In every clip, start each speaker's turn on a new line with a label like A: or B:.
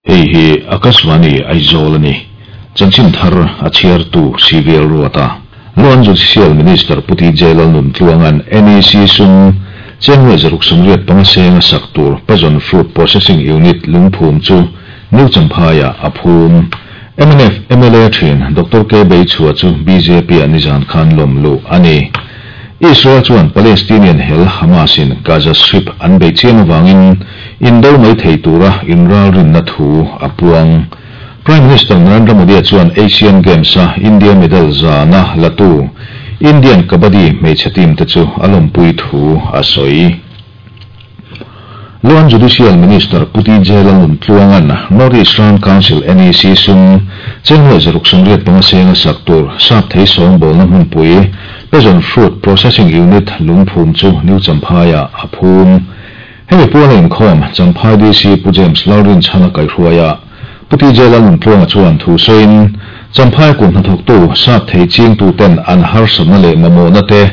A: Hei hi Akashvani Aizawl a ni. Chanchin thar a chhiartu CVL Ruata. Loan Judicial Minister Pu TJ Lalnuntluanga'n NEC sum cheng nuai 685 senga sak tur Pajon Fruit Processing Unit lungphum chu New Champhaiah a phum. Mnf mla thin Doctor K Beichhua chu BJP-ah nizan khan lawm luh a ni. Israel chuan Palestinian hel Hamas-in Gaza Strip an beih chiam avangin indo mai thei tura inralrinna thu a puang. Prime Minister Narendra Modi-a chuan Asian Games-a India medal zana latu Indian Kabaddi hmeichhe team te chu a lawmpui thu a sawi. Law and Judicial Minister Pu TJ Lalnuntluanga'n North East Round Council, NEC, sum cheng nuai 685 senga sak tur sap thei sawngbawlna hmunpui Passion Fruit Processing Unit lungphum chu New Champhaiah a phum. Hemi puala inkhawm Champhai DC Pu James Lalrinchhana kaihruaia Pu TJ Lalnuntluanga chuan thu sawiin, Champhai kut hnathawktu sap thei chingtuten an harsatna leh mamawhna te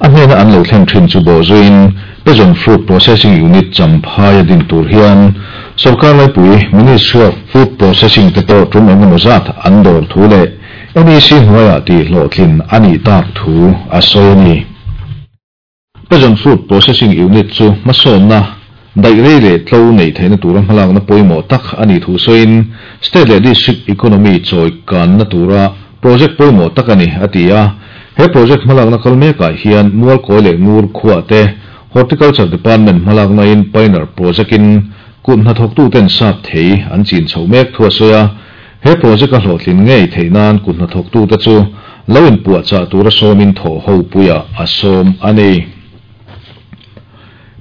A: a hnena an lo thlen thin chu bawhzuiin Passion Fruit Processing Unit Champhai a din tur hian Sorkar laipui Ministry of Food Processing te pawh tum eng emaw zat an dawr thu leh NEC hnuaiah tih hlawhtlin a nih tak thu a sawi a ni. Passion Fruit Processing Unit chu hmasawnna daih rei leh tlo neih theihna tura hmalakna pawimawh tak a nih thu sawiin State leh District Economy chawi kanna tura project pawimawh tak a ni, a ti a. He project hmalakna kal mekah hian Mualkawi leh Ngur khuah te Horticulture Department hmalaknain Pioneer Project-in kut hnathawktuten sap thei an chin chhoh mek thu a sawi a. He project a hlawhtlin ngei theih nan kut hnathawktute chu lo inpuahchah tura sawmin thawh ho puiah a sawm a ni.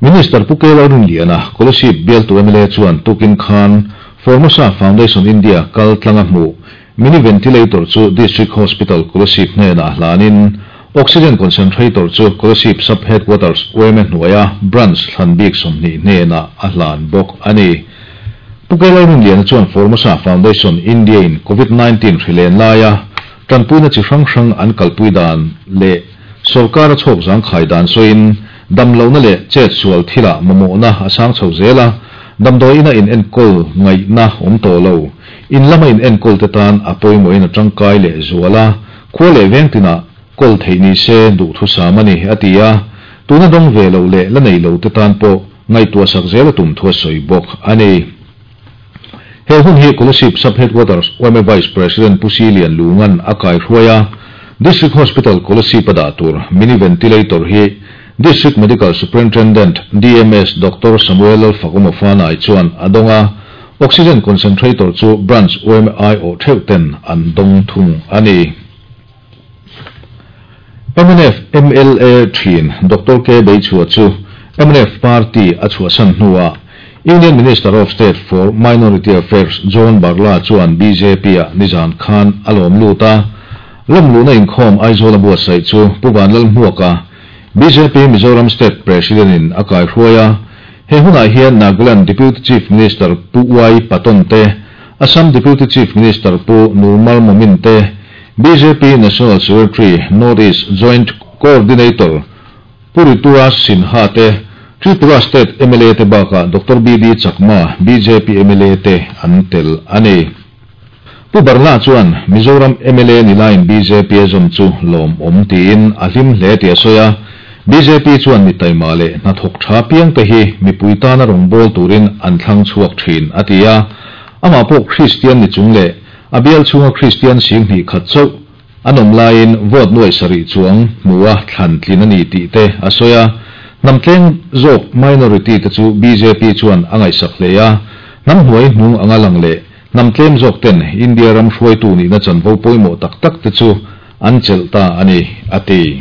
A: Minister Pu Kelo Rinliana, Kolasib bialtu mla chuan tukin khan Formosa Foundation India kal tlanga hmuh Mini Ventilator chu District Hospital Kolasib hnenah a hlanin Oxygen Concentrator chu Kolasib Sub Headquarters yma hnuaia Branch thlan bik 20 hnenah a hlan bawk a ni. Pu Kelo Rinliana chuan Formosa Foundation India in Covid 19 hrilen laia tanpuina chi hrang hrang an kalpui dan leh sorkar a chhawk zangkhai dan sawiin damlohna leh chet sual thilah mamawhna a sang chho zel a, damdawi ina in enkawl ngaihna awm tawh lo. In lama in enkawl te tan a pawimawhin a tangkai leh zual a, khua leh veng tinah kawl theih ni se duhthu sam a ni, a ti a. Tuna dawng ve loh leh la nei lo te tan pawh ngaihtuah sak zel a tum thu a sawi bawk a ni. He hun hi Kolasib Sub Headquarters yma Vice President Pu Si Lian Lunga'n a kaihruai a, District Hospital Kolasib a dah tur Mini Ventilator hi District Medical Superintendent, DMS, Doctor Samuel Lalfakumawfanai chuan a dawng a, Oxygen Concentrator chu Branch yma aiawh theuh ten an dawng thung a ni. Mnf mla thin Doctor K Beichhua chu mnf party a chhuahsan hnuah Union Minister of State for Minority Affairs John Barla chuan BJP-ah nizan khan a lawm lut a. Lawm luhna inkhawm Aizawl a buatsaih chu Pu Vanlalhmuaka, BJP Mizoram State President-in a kaihruai a. He hunah hian Nagaland Deputy Chief Minister Pu Y Patton te, Assam Deputy Chief Minister Pu Nurmal Momin te, BJP National Secretary North East Joint Coordinator Pu Rituraj Sinha te, Tripura State mla te bakah Doctor BD Chakma, BJP mla te an tel a ni. Pu Barla chuan Mizoram mla ni laiin BJP a zawm chu lawmawm tiin a hlim hle tih a sawi a, BJP chuan mi taima leh hnathawk tha piang te hi mipui tana rawngbâwl turin an thlang chhuak thin a ti a. Amah pawh Kristian ni chung leh a bial chhunga Kristian 20,000 chauh an awm laiin vote nuai sarih chuang hmu a thlan tlin a ni tih te a sawi a. Hnam tleng zawk minority te chu BJP chuan a ngaihsak hle a, hnam hnuai hnung anga lang leh hnam tlem zawk ten India ram hruaitu nihna chanvo pawimawh tak tak te chu an chelh ta a ni, a ti.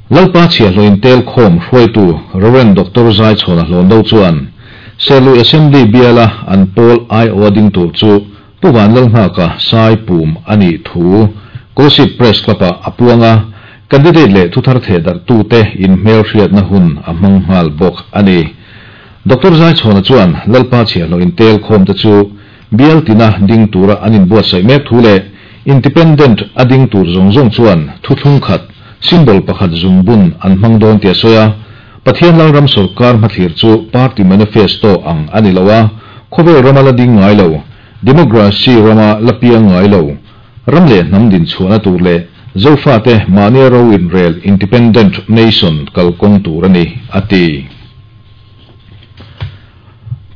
A: Lalpa chhiahhlawh intel khawm hruaitu Rev. Doctor Zaichhawna Hlawndo chuan Serlui Assembly biala an pawl aiawh a ding tur chu Pu Vanlalnghaka sai pum a nih thu Kolasib Press Club-ah a puang a, candidate leh thuthar thehdarhtute inhmelhriatna hun a hmang nghal bawk a ni. Doctor Zaichhawna chuan Lalpa chhiahhlawh intel khawmte chu bial tina ding tura an inbuatsaih mek thu leh Independent a ding tur zawng zawng chuan thuthlung khat, symbol pakhat zungbun an hmang dawn tih a sawi a. Pathian Lalram sawrkar hmathlir chu party manifesto ang a ni lo a, khawvel rama la ding ngai lo, democracy rama la piang ngai lo, ram leh hnam din chhuahna tur leh Zofate mahnia ro inrel independent nation kalkawng tur a ni, a ti.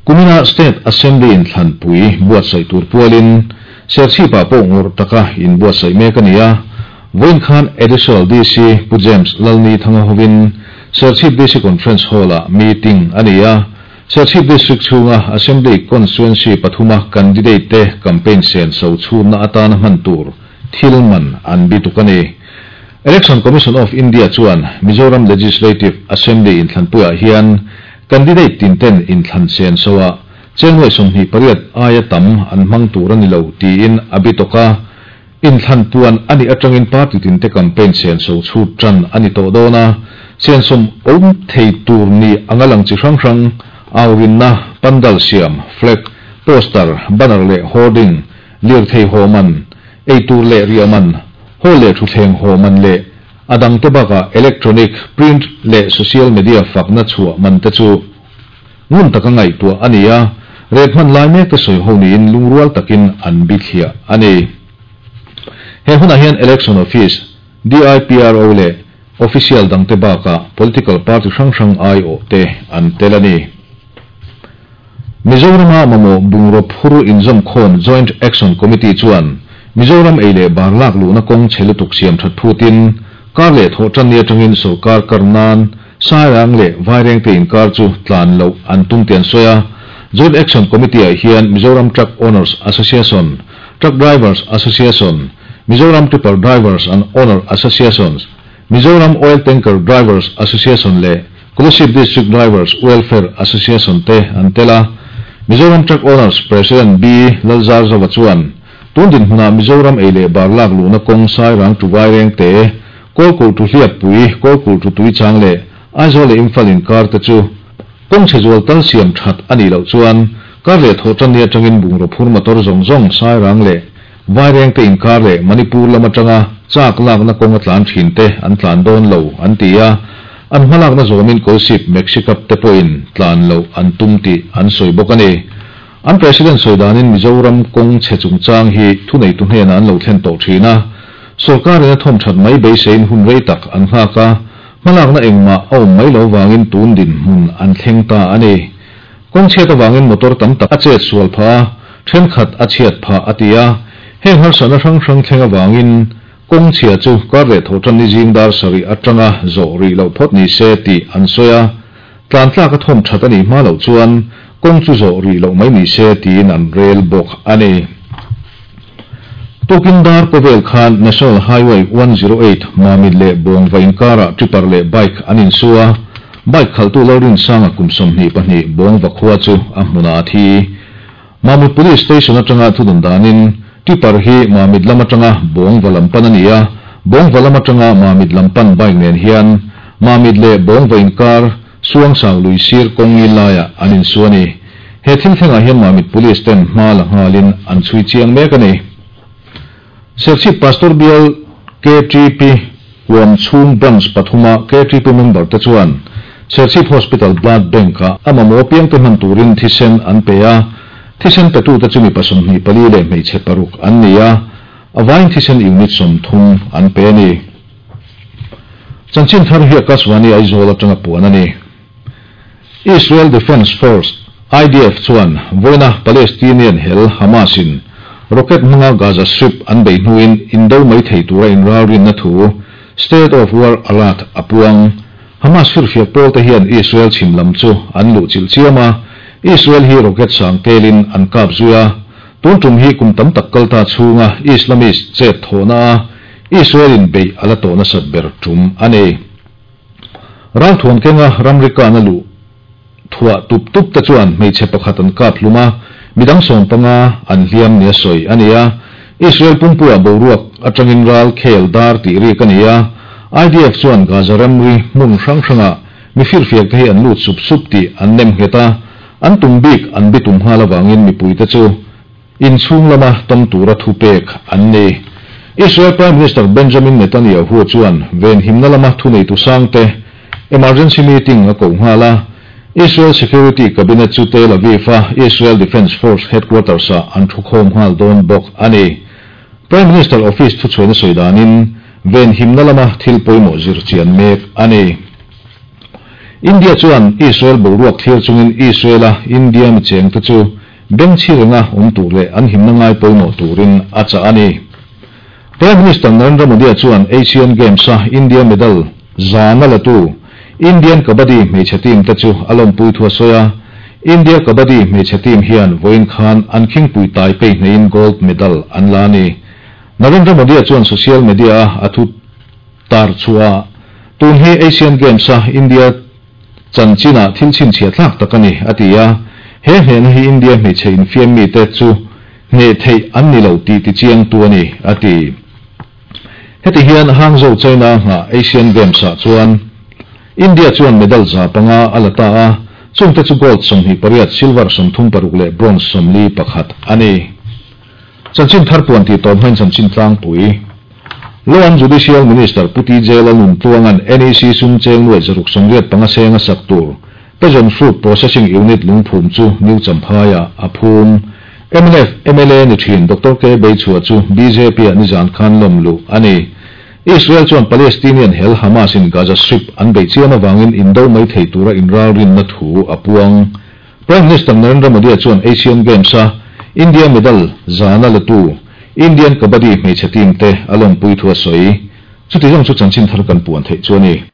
A: Kumina State Assembly inthlanpui buatsaih tur pualin Serchhip-ah pawh ngawrh taka inbuatsaih mek a ni a. Vawiin khan Additional DC Pu James Lalni Thanga hovin Serchhip DC Conference Hall-ah meeting a ni a. Serchhip District chhunga Assembly Constituency pathuma candidate te campaign senso chhunna atana hman tur thil man an bituk a ni. Election Commission of India chuan Mizoram Legislative Assembly inthlanpuiah hian candidate tinten inthlan senso ah cheng nuai 28 aia tam an hmang tur a ni lo tiin a bitawk a. Inthlan puan a nih atangin party tinte campaign senso chhut tan a ni tawh dawn a, sensom awm thei tur ni anga lang chi hrang hrang, aurinna, pandal siam, flag, poster, banner leh hoarding, lirthei haw man, eitur leh riah man, hall leh thutthleng haw man leh a dangte bakah electronic, print leh social media fakna chhuah man te chu ngun taka ngaihtuah a ni a, rate hman lai mek te sawi ho niin lungrual takin an bithliah a ni. He hunah hian Election Office, DIPRO leh official dangte bakah political party hrang hrang aiawh te an tel a ni. Mizorama mamawh bungraw phur inzawmkhawm Joint Action Committee chuan Mizoram ei leh bar lak luhna kawng chhe lutuk siam that phutin kar leh thawh tanni atangin sawrkar kar nan Sairang leh Vairengte inkar chu tlan loh an tum tih an sawi a. Joint Action Committee-ah hian Mizoram Truck Owners Association, Truck Drivers Association, Mizoram Tipper Drivers and Owner Associations, Mizoram Oil Tanker Drivers Association leh Kolasib District Drivers Welfare Association te an tel a. Mizoram Truck Owners President B. Lalzarzova chuan, Tun dinhmunah Mizoram ei leh bar lak luhna kawng Sairang to Vairengte, Kawlkulh to Hliappui, Kawlkulh to Tuichang leh Aizawl leh Imphal inkar te chu kawng chhe zual tal siam that a nih loh chuan kar leh thawh tanni atangin bungraw phur motor zawng zawng Sairang leh Vairengte inkar leh Manipur lam atanga chak lakna kawng a tlan thin te an tlan dawn lo an ti a, an hmalakna zawmin Kawlsip Maxicab te pawhin tlan loh an tum tih an sawi bawk a ni. An President sawi danin Mizoram kawng chhe chungchang hi thuneitu hnenah an lo thlen tawh thin a, sawrkarin a thawm that mai beiseiin hun rei tak an nghak a, hmalakna engmah a awm mai lo vangin tun dinhmun an thleng ta a ni. Kawng chhiat avangin motor tam tak a chet sual phah a, thenkhat a chhiat phah a ti a. Heng harsatna hrang hrang thleng avangin kawng chhia chu kar leh thawh tan ni zing dar sarih atanga zawh rih loh phawt ni se tih an sawi a. Tlan tlak a thawm that a nih hma loh chuan kawng chu zawh rih loh mai ni se tiin an rel bawk a ni. Tukin dar kawvel khan National Highway 108 Mamit leh Bawngva inkarah tipper leh bike an insu a. Bike khalhtu Lalrinsanga kum 22 Bawngva khua chu a hmunah a thi. Mamit Police Station atanga thudun danin tipper hi Mamit lam atanga Bawngva lam pan a ni a, Bawngva lam atanga Mamit lam pan bike nen hian Mamit leh Bawngva inkar Suangsang lui sir kawng ngil laiah an insu a ni. He thil thlengah hian Mamit Police ten hma la nghalin an chhui chiang mek a ni. Serchhip Pastor Bial KTP huam chhung Branch pathuma KTP member te chuan Serchhip Hospital Blood Bank-ah a mamawh piangte hman turin thisen an pe a, thisen petute chu mipa 24 leh hmeichhe paruk an ni a, a vain thisen unit 30 an pe a ni. Chanchin thar hi Akashvani Aizawl atanga puan a ni. Israel Defence Force, IDF, chuan vawiina Palestinian hel Hamas-in rocket hmanga Gaza Strip an bei hnuin indo mai thei tura inralrinna thu State of War Alert a puang. Hamas firfiak pawl te hian Israel chhim lam chu an luh chilh chiam a, Israel hi rocket sang telin an kap zui a. Tun tum hi kum tam tak kal ta chhunga Islamist chet thawhna a Israel-in beih a la tawh nasat ber tum a ni. Ralthuam kenga ramri kana luh thuah tup tup te chuan hmeichhe pakhat an kap hlum a, midang 15 an hliam nia sawi a ni a. Israel pumpuiah boruak atangin ral khel dar tih rik a ni a. IDF chuan Gaza ramri hmun hrang hrangah mi firfiak te hi an lut sup sup tih an nem nghet a, an tum bik an bitum nghal avangin mipui te chu inchhung lama tam tura thu pek an ni. Israel Prime Minister Benjamin Netanyahu chuan ven himna lama thuneitu sangte emergency meeting a ko nghal a. Israel Security Cabinet chu Tel Aviv-a Israel Defense Force headquarters-ah an thukhawm nghal dawn bawk a ni. Prime Minister Office thuchhuaina sawi danin venhimna lama thil pawimawh zir chian mek a ni. India chuan Israel boruak thlir chungin Israel-a India mi chengte chu bengchhi renga awm tur leh an himna ngai pawimawh turin a chah a ni. Prime Minister Narendra Modi-a chuan Asian Games-a India medal zana latu Indian Kabaddi hmeichhe team te chu a lawmpui thu a sawi a. India Kabaddi hmeichhe team hian vawiin khan an khingpui Taipei hneiin gold medal an la a ni. Narendra Modi-a chuan social media-a a thu tar chhuah tun hi Asian Games-a India chanchinah thil chhinchhiah thlak tak a ni, a ti a. He hnehna hi India hmeichhe infiam mite chu hneh theih an ni lo tih tichiangtu a ni, a ti. Heti hian Hangzhou China nghah Asian Games-ah chuan India chuan medal 500 a la ta a, chungte chu gold 28, silver 36 leh bronze 41 a ni. Chanchin thar puan tih tawp hmain chanchin tlangpui. Law and Judicial Minister Pu TJ Lalnuntluanga'n NEC sum cheng nuai 685 seng a sak tur Passion Fruit Processing Unit lungphum chu New Champhaiah a phum. Mnf mla ni thin Doctor K Beichhua chu BJP-ah nizan khan lawm luh a ni. Israel chuan Palestinian hel Hamas-in Gaza Strip an beih chiam avangin indo mai thei tura inralrinna thu a puang. Prime Minister Narendra Modi-a chuan Asian Games-a India medal zana latu Indian Kabaddi hmeichhe team te a lawmpui thu a sawi. Chuti zawng chu chanchin thar kan puan theih chu a ni.